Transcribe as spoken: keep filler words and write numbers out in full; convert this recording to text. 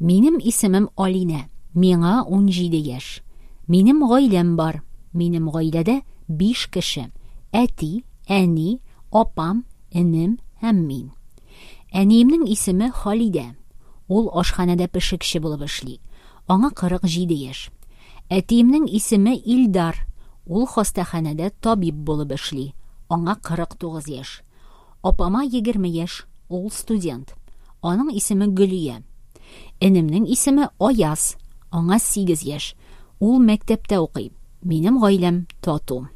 Минем исемем Алинә. Миңа унҗиде яшь. Минем гаиләм бар. Минем гаиләдә биш кеше: әти, әни, апам, энем һәм мин. Әниемнең исеме Халидә. Ул ашханәдә пешекче булып эшли. Аңа кырык җиде яшь. Әтиемнең исеме Илдар. Ул хастаханәдә табиб булып эшли. Аңа кырык тугыз яшь. Апама егерме яшь. Ул студент. Аның исеме Гөлия. Энемнең исеме Аяз. Аңа сигез яшь. Ул мәктәптә укый. Минем гаиләм тату.